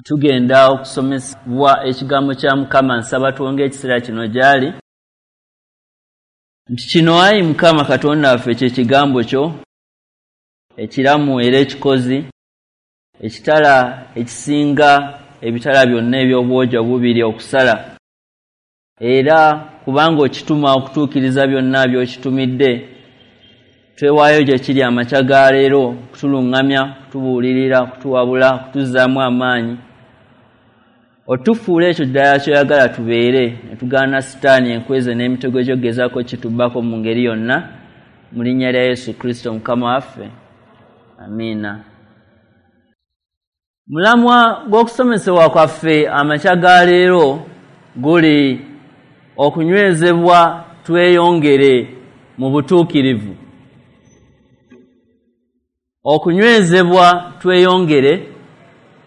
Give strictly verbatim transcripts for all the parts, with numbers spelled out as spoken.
Tugenda okusomesebwa ekigambo kya Mukama. Nsaba twonge ekiseera kino gy'ali nti kino, ayi Mukama Katonda waffe, kye kigambo kyo ekiramu era ekikozi, ekitala ekisinga ebitala byonna eby'obwogi obubiri okusala, era kubanga okituma okutuukiriza byonna by'okitumidde, twewaayo gye kiri amakya ga leero kutuluŋŋamya, kutubuulirira, kutuwabula, kutuzzaamu amaanyi, otufuula ekyo ddala ky'oyagala tubeere, ne tugaana Sitaani enkweze n'emitego gy'ogezaako kitubbako mu ngeri yonna, mu linnya lya Yesu Kristo Mukama waffe, amiina. Mulamwa gw'okusomesebwa kwaffe amakya ga leero guli okunywezebwa tweyongere mu butuukirivu. Okunywezebwa tweyongere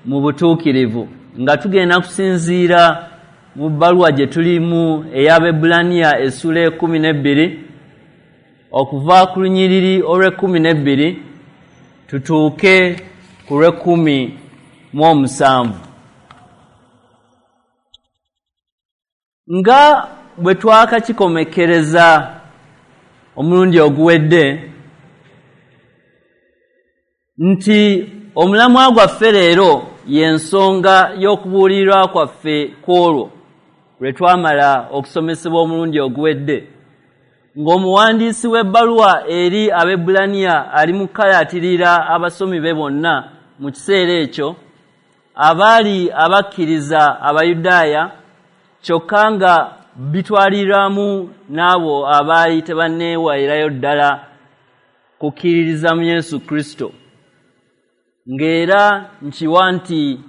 mu butuukirivu, nga tugenda kusinziira mu bbaluwa gye tulimu ey'Abaebbulaniya essuula ekkumi n'ebbiri, okuva ku lunyiriri olw'ekkumi n'ebbiri tutuuke ku lw'ekkumi mu omusanvu. Nga bwe twakakikomekkereza omulundi oguwedde nti omulamwa gwaffe leero y'ensonga y'okubuulirwa kwaffe kw'olwo lwe twamala okusomesebwa omulundi oguwedde, ng'omuwandiisi w'ebbaluwa eri Abaebbulaniya ali mu kukalaatirira abasomi be bonna mu kiseera ekyo abaali abakkiriza Abayudaaya, kyokka nga bitwaliramu n'abo abaali tebanneewairayo ddala kukkiririza mu Yesu Kristo, ng'era nkiwa nti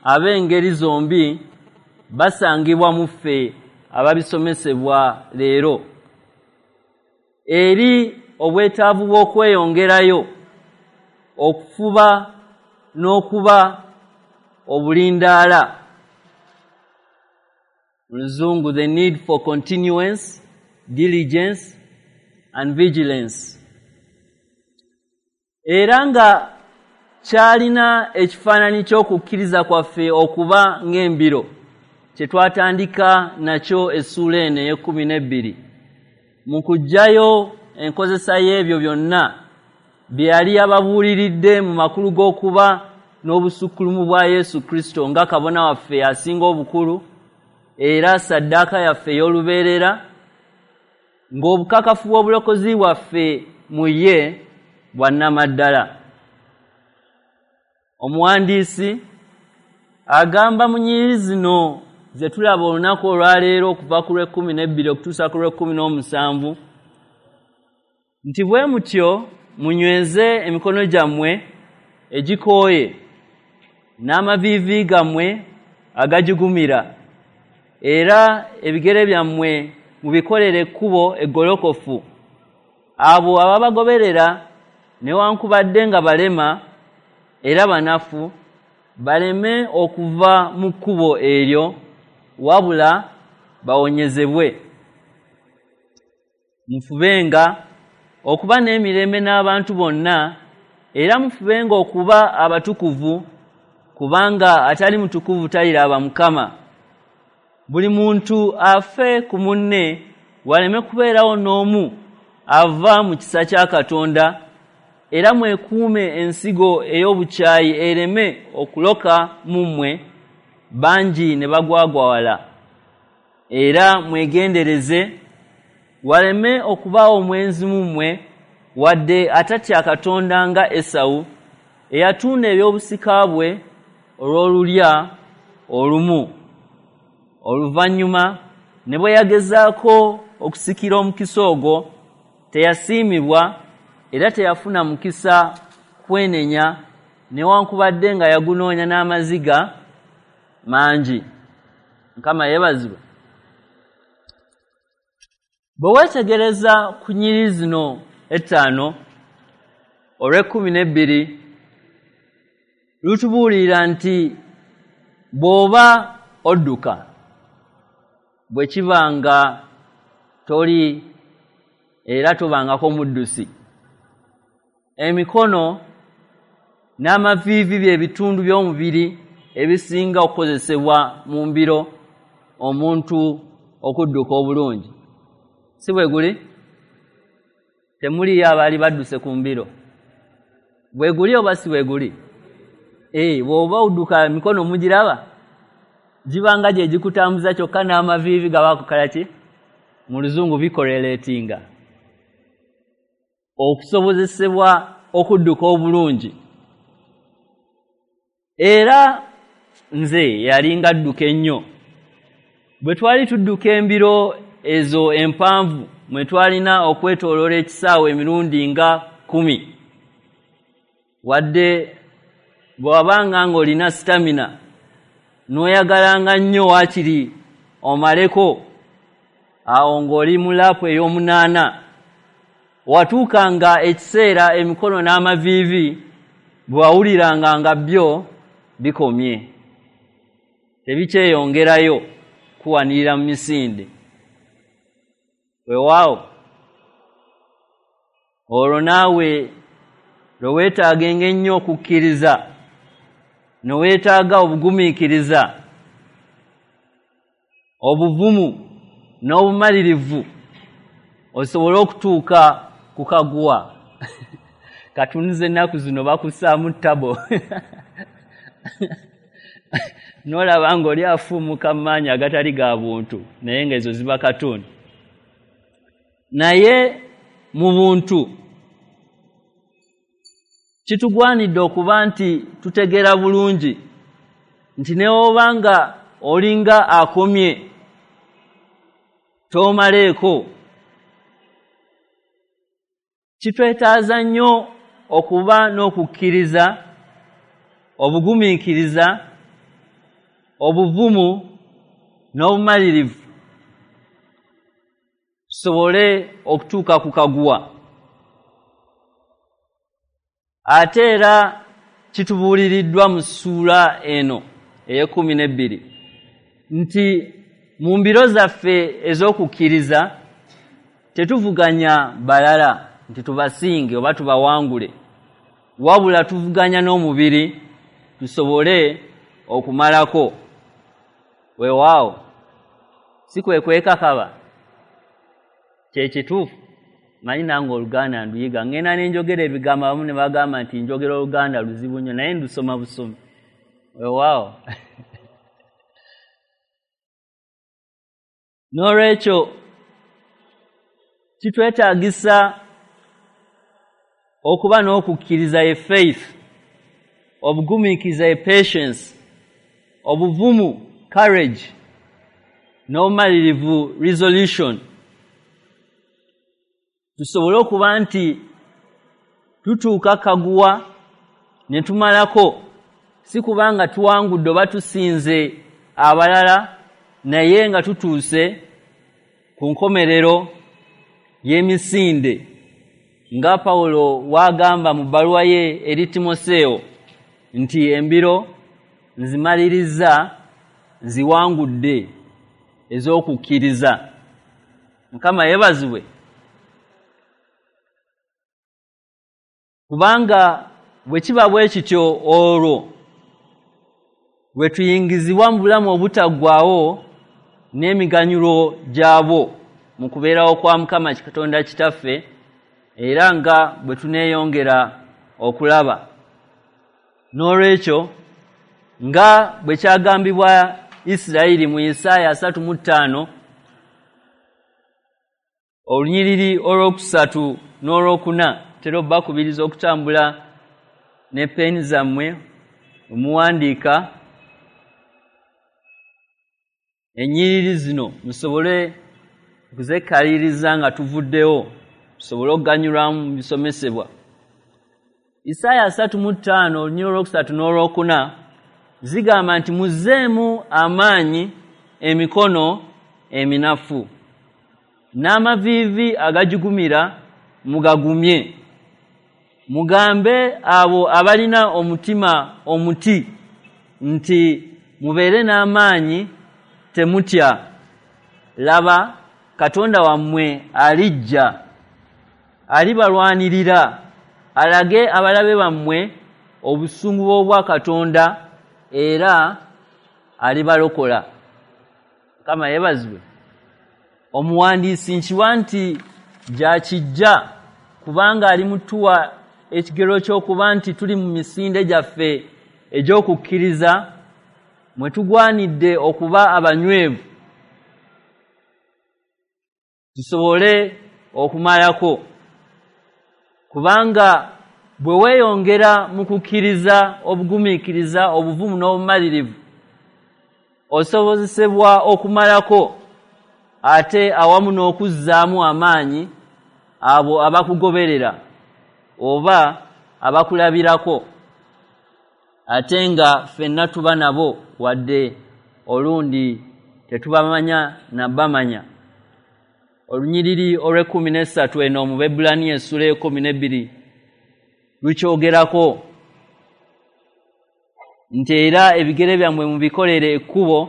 ab'engeri zombi basangibwa mu ffe ababisomesebwa leero, eri obwetaavu bw'okweyongerayo okufuba n'okuba obulindaala. Mu Luzungu, the need for continuance, diligence and vigilance. Era nga kyalina ekifaananyi ky'okukkiriza kwaffe okuba ng'embiro kye twatandika nakyo essuula eno ey'ekkumi n'ebbiri, mu kuggyayo enkozesa y'ebyo byonna bye yali ababuuliridde mu makulu g'okuba n'obusukkulumu bwa Yesu Kristo nga kabona waffe asinga obukulu era ssaddaaka yaffe ey'olubeerera, ng'obukakafu bw'obulokozi bwaffe mu ye bwa nnamaddala. Omuwandiisi agamba mu nnyiriri zino ze tulaba olunaku olwaleero okuva ku lw'ekkumi n'ebbiri okutuusa ku lw'ekkumi n'omusanvu nti bwe mutyo munyweze emikono gyammwe egikooye n'amaviivi gammwe agagigumira, era ebigere byammwe mubikolere ekkubo eggolokofu, abo ababagoberera newankubadde nga balema era banafu baleme okuva mu kkubo eryo, wabula bawonyezebwe. Mufubenga okuba n'emirembe n'abantu bonna, era mufubenga okuba abatukuvu, kubanga atali mutukuvu taliraba Mukama. Buli muntu afe ku munne, waleme kubeerawo n'omu ava mu kisa kya Katonda, era mwekuume ensigo ey'obukyayi ereme okuloka mu mmwe, bangi ne bagwagwawala. Era mwegendereze waleme okubaawo omwenzi mu mmwe, wadde atatya Katonda nga Esawu, eyatunda eby'obusika bwe olw'olulya olumu. Oluvannyuma ne bwe yagezaako okusikira omukisa ogwo, teyasiimibwa era teyafuna mukisa kwenenya, newankubadde nga yagunoonya n'amaziga mangi. Mukama yeebazibwe. Bwe weetegereza ku nnyiriri zino ettaano, olw'ekkumi n'ebbiri lutubuulira nti bw'oba odduka, bwe kiba nga toli era tobangako muddusi, emikono n'amaviivi by'ebitundu by'omubiri ebisinga okukozesebwa mu mbiro omuntu okudduka obulungi. Si bwe guli? Temuliyo abaali badduse ku mbiro. Bwe guli oba si bwe guli? Eh, bw'oba odduka emikono mugiraba gibanga gye gikutambuza, kyokka n'amaviivi gabakukola ki? Mu luzungu bicorrelatinga okusobozesebwa okudduka obulungi. Era nze yalinga adduka ennyo. Bwe twali tudduka embiro ezo empanvu mwe twalina okwetooloola ekisaawe emirundi nga kkumi, wadde bw'wabanga ng'olina stamina n'oyagalanga nnyo waakiri omaleko, awo ng'oli mu laapu ey'omunaana, watuukanga ekiseera emikono n'amaviivi bwe wawuliranga nga byo bikomye, tebikyeyongerayo kuwanirira mu misinde. Weewaawo olwo naawe lwe weetaagenga ennyo okukkiriza, ne weetaaga obugumiikiriza, obuvumu n'obumalirivu osobole okutuuka ku kaguwa. Katunze ennaku zino bakussaamu ttabo n'olaba ng'oli afuumuka mu maanyi agatali ga buntu, naye ng'ezo ziba katono. Naye mu buntu kitugwanidde okuba nti tutegeera bulungi nti ne bw'oba nga olinga akomye toomaleeko. Kitwetaaza nnyo okuba n'okukkiriza, obugumiikiriza, obuvumu n'obumalirivu tusobole okutuuka ku kaguwa. Ate era kitubuuliriddwa mu ssuula eno ey'ekkumi n'ebbiri nti mu mbiro zaffe ez'okukkiriza tetuvuganya balala nti tubasinge oba tubawangule, wabula tuvuganya n'omubiri tusobole okumalako. Weewaawo si kwe kwekakaba, kye kituufu. Manyi nange Oluganda nduyiga, ngenda ne njogera ebigambo abamu ne bagamba nti njogera Oluganda luzibu nnyo, naye ndusoma busomi. Weewaawo n'olwekyo kitwetaagisa okuba n'okukkiriza, ye faith, obugumiikiriza, ye patience, obuvumu, courage, n'obumalirivu, resolution, tusobole okuba nti tutuuka kaguwa ne tumalako, si kubanga tuwangudde oba tusinze abalala, naye nga tutuuse ku nkomerero y'emisinde nga Pawulo w'agamba mu bbaluwa ye eri Timoseewo nti embiro nzimalirizza, nziwangudde ez'okukkiriza. Mukama yeebazibwe. Kubanga bwe kiba bwe kityo, olwo bwe tuyingizibwa mu bulamu obutaggwaawo n'emiganyulo gyabwo mu kubeerawo kwa Mukama Katonda Kitaffe, era nga bwe tuneeyongera okulaba. N'olwekyo nga bwe kyagambibwa Isirayiri mu Isaaya asatu mu ttaano olunyiriri olwokusatu n'olwokuna, tera obbakubiriza okutambula ne peeni zammwe omuwandiika ennyiriri zino musobole okuzekkaliriza nga tuvuddewo, tusobole okuganyulwamu mu bisomesebwa. Isaaya asatu mu ttaano olunyiriri olwokusatu n'olwokuna zigamba nti muzzeemu amaanyi emikono eminafu, n'amaviivi agajugumira mugagumye. Mugambe abo abalina omutima omuti nti mubeere n'amaanyi, temutya. Laba, Katonda wammwe alijja, alibalwanirira, alage abalabe bammwe obusungu bw'Obwakatonda era alibalokola. Mukama yeebazibwe. Omuwandiisi nkiwa nti gyakijja, kubanga ali mutuwa ekigero ky'okuba nti tuli mu misinde gyaffe egy'okukkiriza mwe tugwanidde okuba abanywevu tusobole okumalako, kubanga bwe weeyongera mu kukkiriza, obugumiikiriza, obuvumu n'obumalirivu, osobozesebwa okumalako ate awamu n'okuzzaamu amaanyi abo abakugoberera oba abakulabirako, ate nga ffenna tuba nabo wadde olundi tetubamanya nabamanya. Olunyiriri olw'ekkumi n'essatu eno mu Baebbulaniya essula y'ekkumi n'ebbiri lukyogerako nti era ebigere byammwe mubikolere ekkubo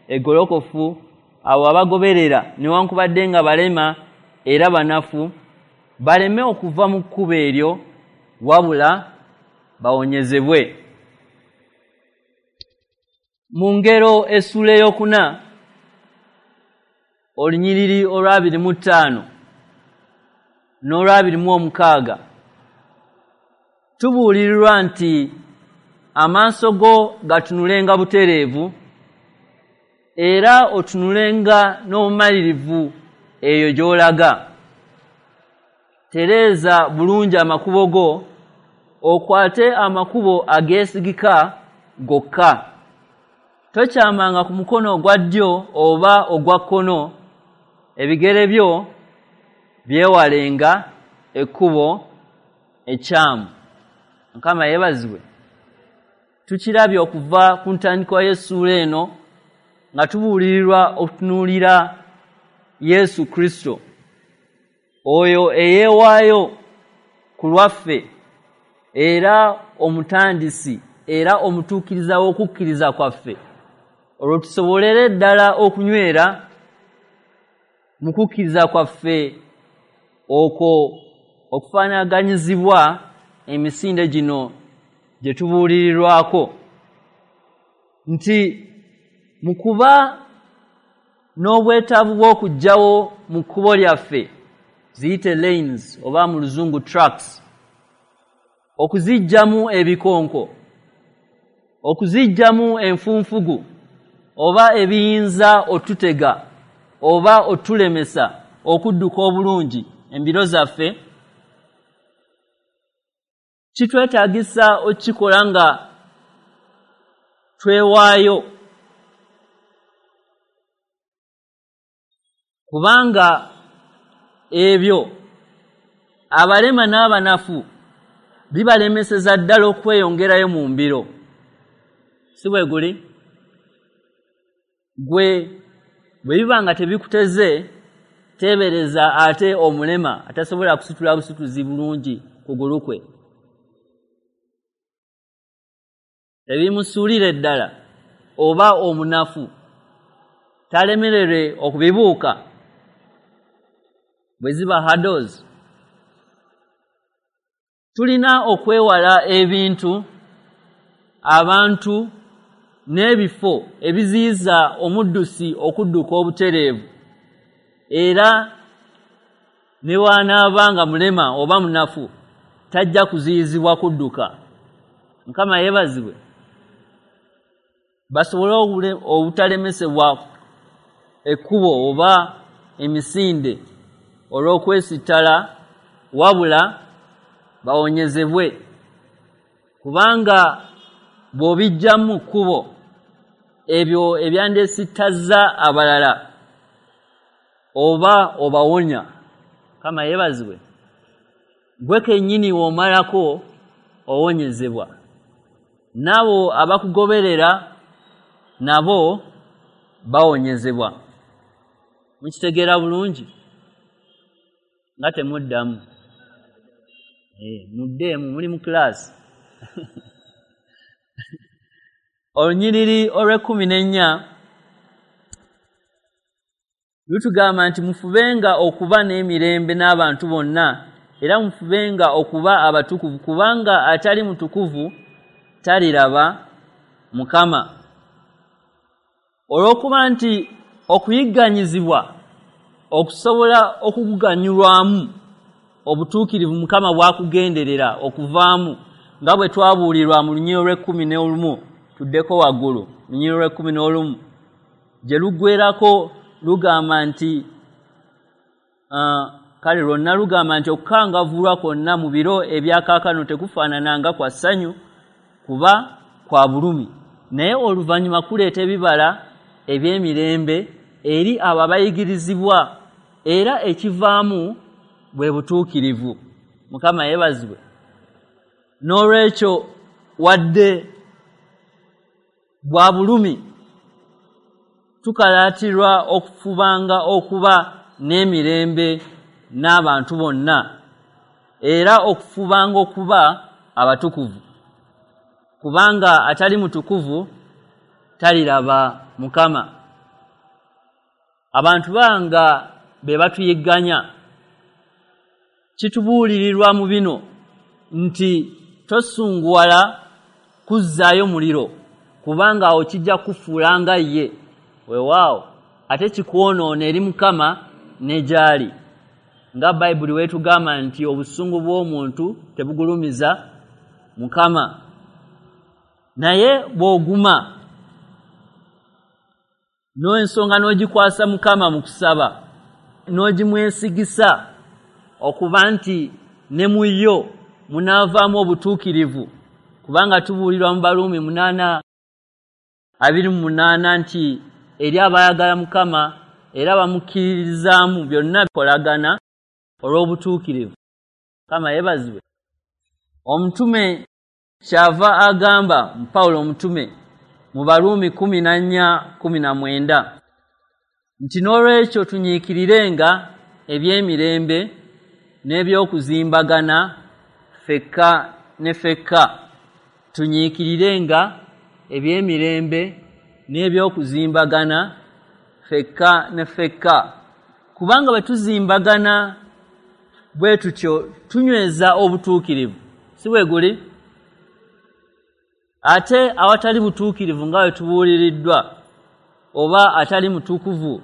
eggolokofu, abo abagoberera newankubadde nga balema era banafu baleme okuva mu kkubo eryo, wabula bawonyezebwe. Mu ngero essula ey'okuna olunyiriri olw'abiri mu ttaano n'olw'abiri mu omukaaga tubuulirirwa nti amaaso go gatunulenga butereevu era otunulenga n'obumalirivu eyo gy'olaga. Tereeza bulungi amakubo go, okwate amakubo ageesigika gokka. Tokyamanga ku mukono ogwa ddyo oba ogwa kkono, ebigere byo byewalenga ekkubo ekyamu. Mukama yeebazibwe. Tukirabye okuva ku ntandikwa y'essuula eno nga tubuulirirwa okutunuulira Yesu Kristo, oyo eyeewaayo ku lwaffe era omutandisi era omutuukiriza w'okukkiriza kwaffe, olwo tusobolere ddala okunywera mu kukkiriza kwaffe okwo okufaanaganyizibwa emisinde gino gye tubuulirirwako, nti mu kuba n'obwetaavu bw'okuggyawo mu kkubo lyaffe, ziyite lanes oba mu luzungu tracks, okuziggyamu ebikonko, okuziggyamu enfunfugu oba ebiyinza otutega oba otulemesa okudduka obulungi embiro zaffe, kitwetaagisa okukikola nga twewaayo, kubanga ebyo abalema n'abanafu bibalemeseza ddala okweyongerayo mu mbiro. Si bwe guli? Gwe bwe biba nga tebikuteze, teebereza ate omulema atasobola kusitula busituzi bulungi kugulu kwe, tebimusuulire ddala, oba omunafu talemererwe okubibuuka bwe ziba hurdles. Tulina okwewala ebintu, abantu n'ebifo ebiziyiza omuddusi okudduka obutereevu, era ne bw'anaaba nga mulema oba munafu tajja kuziyizibwa kudduka. Mukama yeebazibwe. Basobole obutalemesebwa ekkubo oba emisinde olw'okwesittala, wabula bawonyezebwe, kubanga bw'obiggyamu kkubo ebyo ebyandesittazza abalala oba obawonya. Mukama yeebazibwe. Gwe kennyini w'omalako owonyezebwa, n'abo abakugoberera nabo bawonyezebwa. Mukitegeera bulungi? Nga temuddamu. Eh, muddeemu, muli mu kilaasi. Olunyiriri olw'ekkumi n'ennya lutugamba nti mufubenga okuba n'emirembe n'abantu bonna, era mufubenga okuba abatukuvu, kubanga atali mutukuvu taliraba Mukama. Olw'okuba nti okuyigganyizibwa okusobola okuganyulwamu obutuukirivu Mukama bwakugenderera okuvaamu, nga bwe twabuulirwa mu lunyiriri lw'ekkumi n'olumu, tuddeko waggulu, lunyiriri lw'ekkumi n'olumu gye luggwerako lugamba nti uh, kale lwonna lugamba nti okukangavvulwa kwonna mu biro ebyakaakano tekufaanana nga kwa ssanyu kuba kwa bulumi, naye oluvannyuma kuleeta ebibala eby'emirembe eri abo abayigirizibwa, era ekivaamu bwe butuukirivu. Mukama yeebazibwe. N'olwekyo wadde bwa bulumi, tukalaatirwa okufubanga okuba n'emirembe n'abantu bonna, era okufubanga okuba abatukuvu, kubanga atali mutukuvu taliraba Mukama. Abantu banga be batuyigganya, kitubuulirirwa mu bino nti tosunguwala kuzzaayo muliro, kubanga awo kijja kufuula nga ye. Weewaawo ate kikwonoona eri Mukama ne gy'ali, nga Bayibuli weetugamba nti obusungu bw'omuntu tebugulumiza Mukama. Naye bw'oguma n'ensonga n'ogikwasa Mukama mu kusaba, n'ogimwesigisa okuba nti ne mu yo munaavaamu obutuukirivu, kubanga tubuulirwa mu Baruumi munaana abiri mu munaana nti eri abaayagala Mukama era bamukkiririzaamu byonna bikolagana olw'obutuukirivu. Mukama yeebazibwe. Omutume kyava agamba Pawulo omutume mu Baruumi kumi na nnya kumi na mwenda nti n'olwekyo tunyiikirirenga eby'emirembe n'ebyokuzimbagana ffekka ne ffekka. Tunyiikirirenga eby'emirembe n'ebyokuzimbagana ffekka ne ffekka, kubanga bwe tuzimbagana bwe tutyo tunyweza obutuukirivu, si bwe guli? Ate awatali butuukirivu nga bwe tubuuliriddwa, oba atali mutukuvu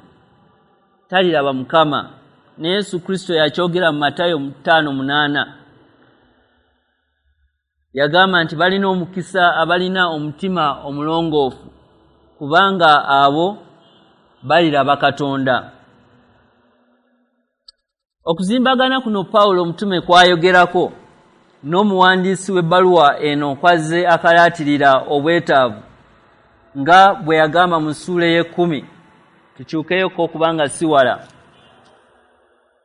taliraba Mukama. Ne Yesu Kristo yakyogera mu Matayo ttaano munaana, yagamba nti balina omukisa abalina omutima omulongoofu, kubanga abo baliraba Katonda. Okuzimbagana kuno Pawulo omutume kwayogerako n'omuwandiisi w'ebbaluwa eno kwazze akalaatirira obwetaavu, nga bwe yagamba mu ssuula ey'ekkumi. Tukyukeyoko okubanga si wala.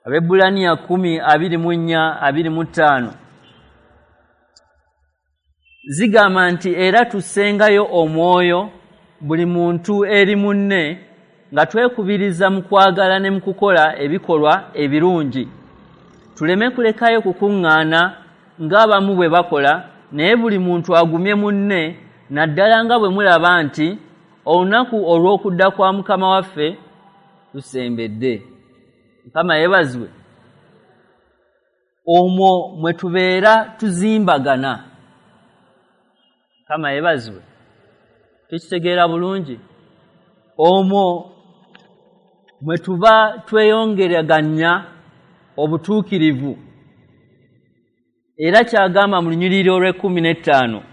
Abaebbulaniya kkumi abiri mu nnya abiri mu ttaano zigamba nti era tussengayo omwoyo buli muntu eri munne, nga twekubiriza mu kwagala ne mu kukola ebikolwa ebirungi, tuleme kulekayo kukuŋŋaana ng'abamu bwe bakola, naye buli muntu agumye munne, naddala nga bwe mulaba nti olunaku olw'okudda kwa Mukama waffe lusembedde. Mukama yeebazibwe. Omwo mwe tubeera tuzimbagana. Mukama yeebazibwe. Tukitegeera bulungi. Omwo mwe tuba tweyongeraganya obutuukirivu. Era kyagamba mu lunyiriri olw'ekkumi n'ettaano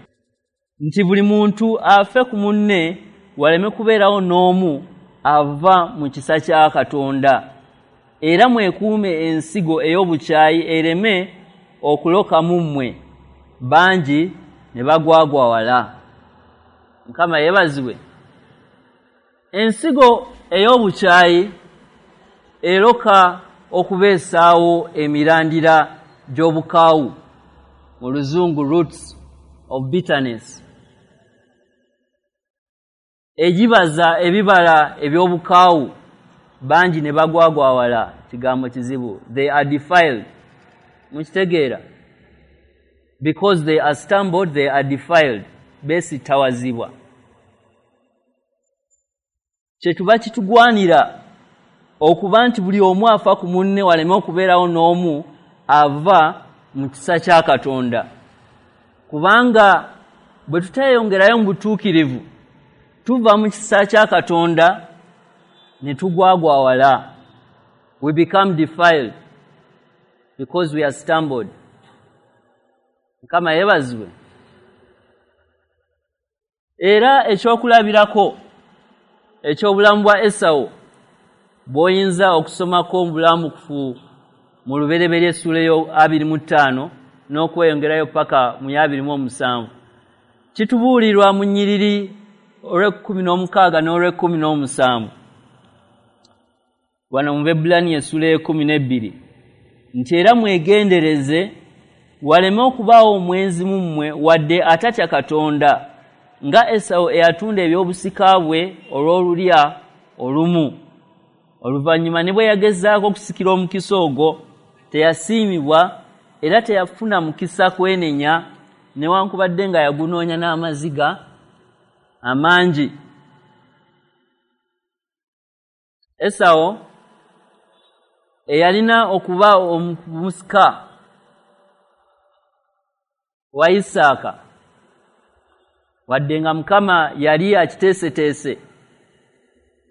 nti buli muntu afe ku munne waleme kubeerawo n'omu ava mu kisa kya Katonda, era mwekuume ensigo ey'obukyayi ereme okuloka mu mmwe, bangi ne bagwagwawala. Mukama yeebazibwe. Ensigo ey'obukyayi eroka okubeesaawo emirandira gy'obukaawu, mu luzungu roots of bitterness, egibaza ebibala eby'obukaawu, bangi ne bagwagwawala. Kigambo kizibu. They are defiled. Mukitegeera? Because they are stumbled, they are defiled. Beesittawazibwa. Kyetuba kitugwanira okuba nti buli omu afa ku munne waleme okubeerawo n'omu ava mu kisa kya Katonda, kubanga bwe tuteeyongerayo mu butuukirivu, tuva mu kisa kya Katonda ne tugwagwawala. We become defiled because we are stumbled. Mukama yeebazibwe. Era ekyokulabirako eky'obulamu bwa Esawu bw'oyinza okusomako mu bulamukufu mu Lubereberye essuula abiri mu ttaano n'okweyongerayo paka mu abiri mu omusanvu, kitubuulirwa mu nnyiriri olw'ekkumi n'omukaaga n'olw'ekkumi n'omusanvu wano mu Baebbulaniya essuula ey'ekkumi n'ebbiri nti era mwegendereze waleme okubaawo omwenzi mu mmwe wadde atatya Katonda, nga Esawu eyatunda eby'obusika bwe olw'olulya olumu. Oluvannyuma ne bwe yagezaako okusikira omukisa ogwo teyasiimibwa, era teyafuna mukisa kwenenya, newankubadde nga yagunoonya n'amaziga amangi. Esawu eyalina okuba omusika wa Isaaka, wadde nga Mukama yali akiteeseteese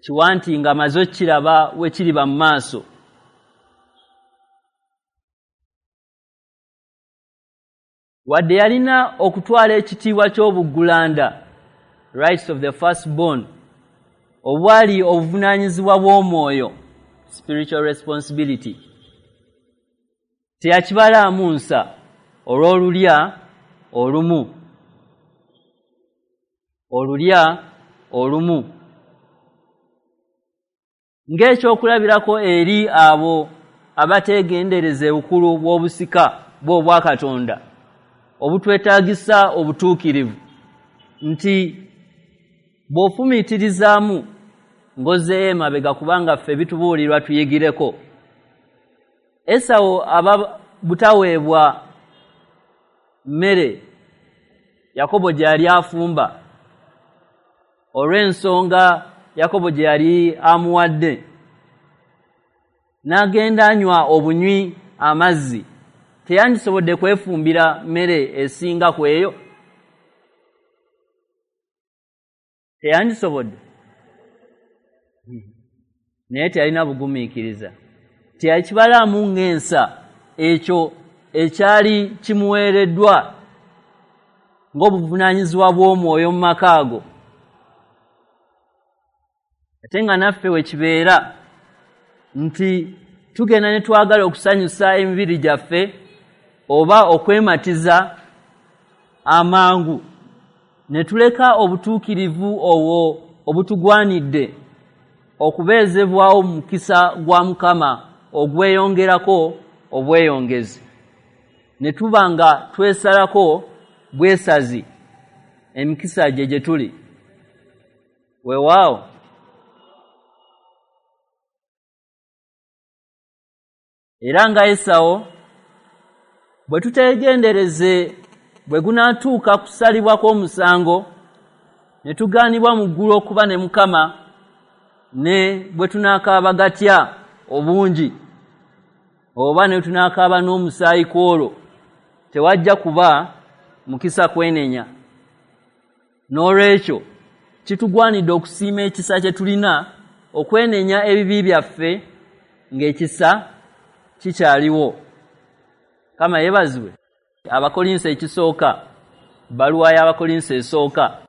kiwanti nga amaze okukiraba we kiriba mu maaso, wadde yalina okutwala ekitiibwa ky'obuggulanda, rights of the firstborn, obwali obuvunaanyizibwa bw'omwoyo, spiritual responsibility, teyakibalaamu nsa olw'olulya olumu. Olulya olumu ng'ekyokulabirako eri abo abateegendereza obukulu bw'obusika bw'obwakatonda obutwetaagisa obutuukirivu, nti bw'ofumiitirizaamu ng'ozzeeyo emabega, kubanga ffe bitubuulirwa tuyigireko. Esawu aba butaweebwa mmere Yakobo gye yali afumba olw'ensonga Yakobo gye yali amuwadde, n'agenda anywa obunywi amazzi. Teyandisobodde kwefumbira mmere esinga ku eyo, teyandisobodde, naye teyalina bugumiikiriza, teyakibalaamu ng'ensa ekyo ekyali kimuweereddwa ng'obuvunaanyizibwa bw'omwoyo mu maka ago. Ate nga naffe we kibeera nti tugenda ne twagala okusanyusa emibiri gyaffe oba okwematiza amangu, ne tuleka obutuukirivu obwo obutugwanidde okubeezebwawo mu mukisa gwa Mukama ogweyongerako obweyongezi, ne tuba nga twesalako bwesazi emikisa gye gye tuli. Weewaawo era nga Esawu bwe tuteegendereze bwe gunaatuuka kusalibwa kw'omusango ne tugaanibwa mu ggulu okuba ne Mukama, ne bwe tunaakaaba gatya obungi oba ne tunaakaaba n'omusaayi kw'olwo, tewajja kuba mukisa kwenenya. N'olwekyo kitugwanidde okusiima ekisa kye tulina, okwenenya ebibi byaffe ng'ekisa kikyaliwo. Kama yeebazibwe. Abakolinso ekisooka, bbaluwa y'Abakolinso esooka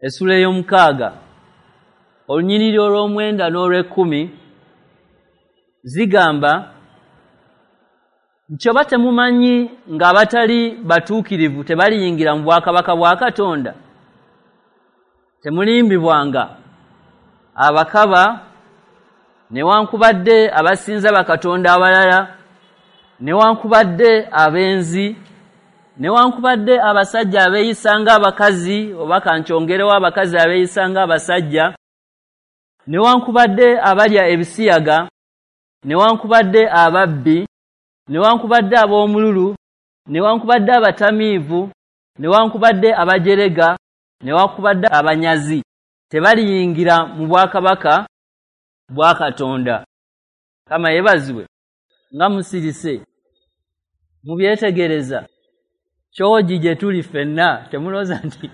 essuula ey'omukaaga olunyiriri olw'omwenda n'olw'ekkumi zigamba nti oba temumanyi ng'abatali batuukirivu tebaliyingira mu bwakabaka bwa Katonda? Temulimbibwanga, abakaba newankubadde abasinza bakatonda abalala, newankubadde abenzi, newankubadde abasajja abeeyisa ng'abakazi, oba kankyongerewo abakazi abeeyisa ng'abasajja, newankubadde abalya ebisiyaga, newankubadde ababbi, newankubadde ab'omululu, newankubadde abatamiivu, newankubadde abajerega, newankubadde abanyazi, tebaliyingira mu bwakabaka bwa Katonda. Kama yeebazibwe. Nga musirise mubyetegereza. Kyogi gye tuli ffenna, temulowooza nti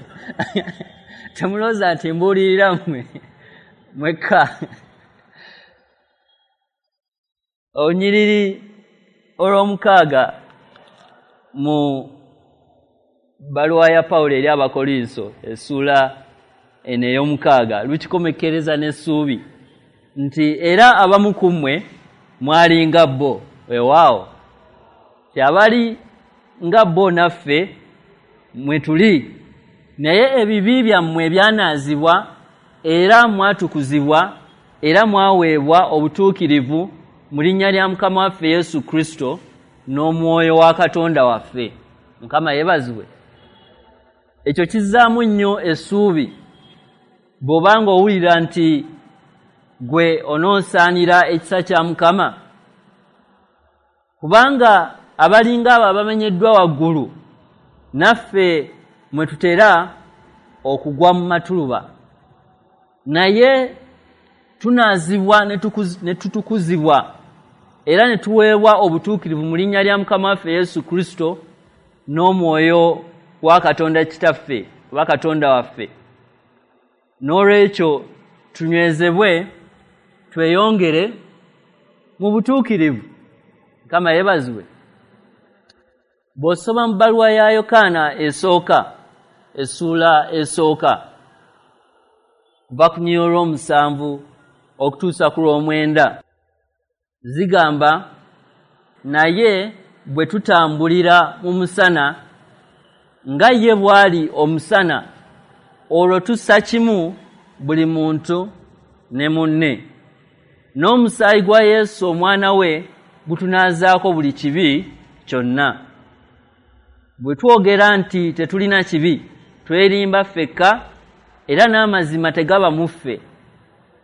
temulowooza nti mbuulirira mmwe mwekka. Olunyiriri olw'omukaaga mu bbaluwa ya Pawulo eri Abakolinso essuula eno ey'omukaaga lukikomekkereza n'essuubi nti era abamu ku mmwe mwali nga bo. Weewaawo, ti abali nga bo naffe mwe tuli, naye ebibi byammwe byanaazibwa era mwatukuzibwa era mwaweebwa obutuukirivu mu linnya lya Mukama waffe Yesu Kristo n'omwoyo wa Katonda waffe. Mukama yeebazibwe. Ekyo kizzaamu nnyo essuubi bw'obanga owulira nti gwe onoosaanira ekisa kya Mukama, kubanga abalinga abo abamenyeddwa waggulu naffe mwe tutera okugwa mu matuluba, naye tunaazibwa ne tutukuzibwa era ne tuweebwa obutuukirivu mu linnya lya Mukama waffe Yesu Kristo n'omwoyo wa Katonda Kitaffe oba Katonda waffe. N'olwekyo tunywezebwe tweyongere mu butuukirivu. Mukama yeebazibwe. Bw'osoma mu bbaluwa ya Yokaana esooka essuula esooka kuva ku nnyiriri olw'omusanvu okutuusa ku lw'omwenda zigamba, naye bwe tutambulira mu musana nga ye bw'ali omusana, olwo tussa kimu buli muntu ne munne, n'omusaayi gwa Yesu omwana we gutunaazaako buli kibi kyonna. Bwe twogera nti tetulina kibi, twerimba ffekka era n'amazima tegaba mu ffe.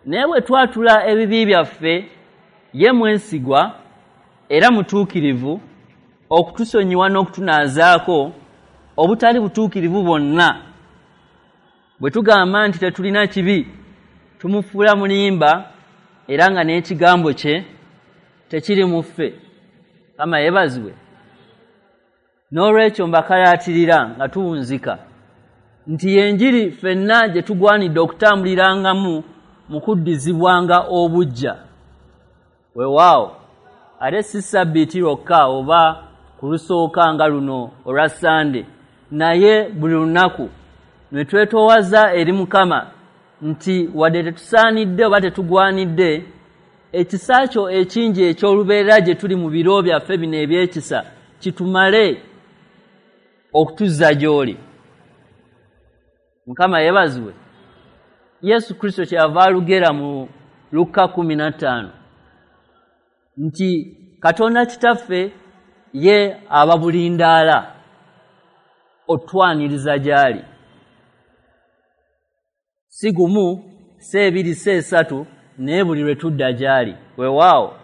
Naye bwe twatula ebibi byaffe, ye mwesigwa era mutuukirivu okutusonyiwa n'okutunaazaako obutali butuukirivu bwonna. Bwe tugamba nti tetulina kibi, tumufuula mulimba era nga n'ekigambo kye tekiri mu ffe. Mukama yeebazibwe. N'olwekyo mbakalaatirira nga tuwunzika nti y'enjiri ffenna gye tugwanidde okutambulirangamu mu kuddizibwanga obuggya. Weewaawo, ate si Ssabbiiti lwokka oba ku lusooka nga luno olwa Ssande, naye buli lunaku ne twetoowaza eri Mukama nti wadde tetusaanidde oba tetugwanidde, ekisa kyo ekingi eky'olubeerera gye tuli mu biro byaffe bino eby'ekisa kitumale okutuzza gy'oli. Mukama yeebazibwe. Yesu Kristo kyeyava alugera mu Lukka kkumi na ttaano nti Katonda Kitaffe ye aba bulindaala otwaniriza gy'ali, si gumu, si ebiri, si esatu, naye buli lwe tudda gy'ali. Weewaawo,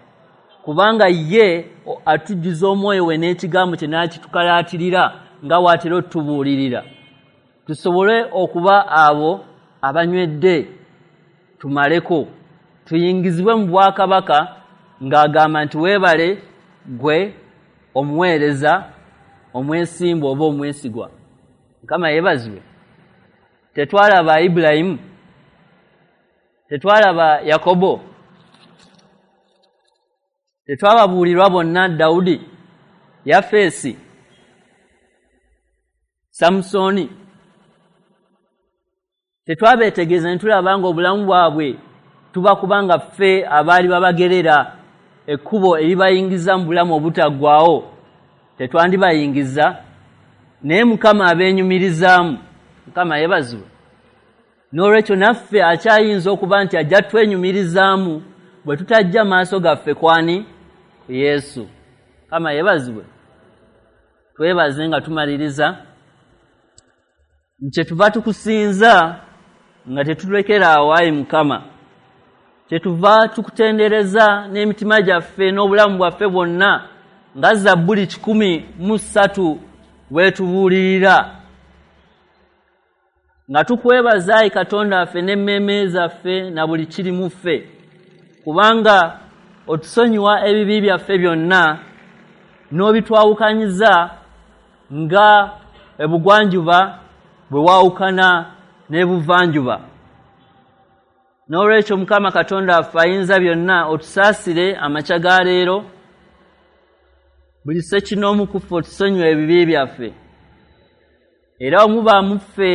kubanga ye atujjuza omwoyo we n'ekigambo kye n'akitukalaatirira nga bw'atera otubuulirira, tusobole okuba abo abanywedde tumaleko, tuyingizibwe mu bwakabaka ng'agamba nti weebale gwe omuweereza omwesimbu oba omwesigwa. Mukama yeebazibwe. Tetwalaba Ibulayimu, tetwalaba Yakobo, tetwababuulirwa bonna Dawudi, Yafeesi, Samusoni. Tetwabeetegereza ne tulaba ng'obulamu bwabwe tuba kubanga ffe abaali babagerera ekkubo eribayingiza mu bulamu obutaggwaawo, tetwandibayingiza, naye Mukama abeenyumirizaamu. Mukama yeebazibwe. N'olwekyo naffe akyayinza okuba nti ajja twenyumirizaamu bwe tutajja maaso gaffe kwani ku Yesu. Mukama yeebazibwe. Twebaze nga tumaliriza kyetuva tukusinza nga tetulekera awo, ayi Mukama. Kyetuva tukutendereza n'emitima gyaffe n'obulamu bwaffe bwonna nga Zabbuli kikumi mu ssatu weetubuulirira, nga tukwebaza ayi Katonda waffe n'emmeeme zaffe na buli kiri mu ffe, kubanga otusonyiwa ebibi byaffe byonna n'obitwawukanyiza nga ebugwanjuba bwe waawukana n'ebuvanjuba. N'olwekyo Mukama Katonda waffe ayinza byonna, otusaasire amakya ga leero, buli ssekinoomu ku ffe otusonyiwe ebibi byaffe, era omuba mu ffe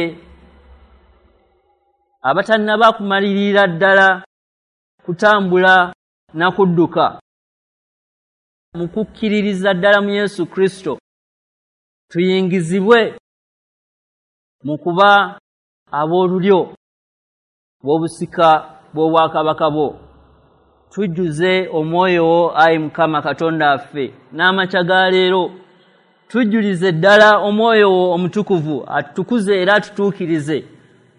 abatannaba kumalirira ddala kutambula na kudduka mu kukkiririza ddala mu Yesu Kristo, tuyingizibwe mu kuba ab'olulyo bw'obusika bw'obwakabaka bwo. Tujjuze omwoyo wo, ayi Mukama Katonda waffe, n'amakya ga leero tujjulize ddala omwoyo wo omutukuvu, atutukuze era atutuukirize,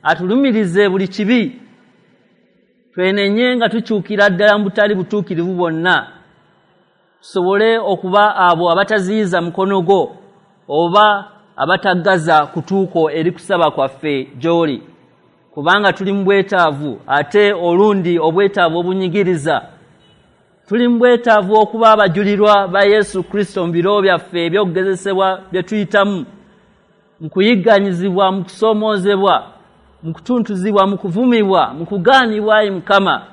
atulumirize buli kibi, twenenye nga tukyukira ddala mu butali butuukirivu bwonna, tusobole okuba abo abataziyiza mukono gwo oba abataggaza kutuuko eri kusaba kwaffe gy'oli, kubanga tuli mu bwetaavu, ate olundi obwetaavu obunyigiriza. Tuli mu bwetaavu okuba abajulirwa ba Yesu Kristo mu biro byaffe eby'okugezesebwa bye tuyitamu, mu kuyigganyizibwa, mu kusoomoozebwa, mu kutuntuzibwa, mu kuvumibwa, mu kugaanibwa. Ayi Mukama,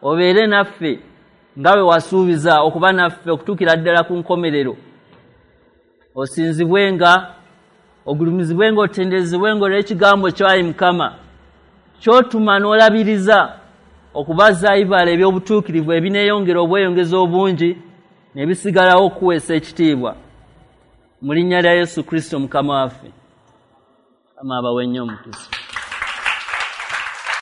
obeere naffe nga bwe wasuubiza okuba naffe okutuukira ddala ku nkomerero. Osinzibwenga, ogulumizibwenga, otenderezebwenga olw'ekigambo kyo, ayi Mukama, ky'otuma n'olabiriza okubaza ebibala eby'obutuukirivu ebineeyongera obweyongeza obungi ne bisigalawo okuweesa ekitiibwa. Mu linnya lya Yesu Kristo Mukama waffe. Mukama abawe nnyo omukisa.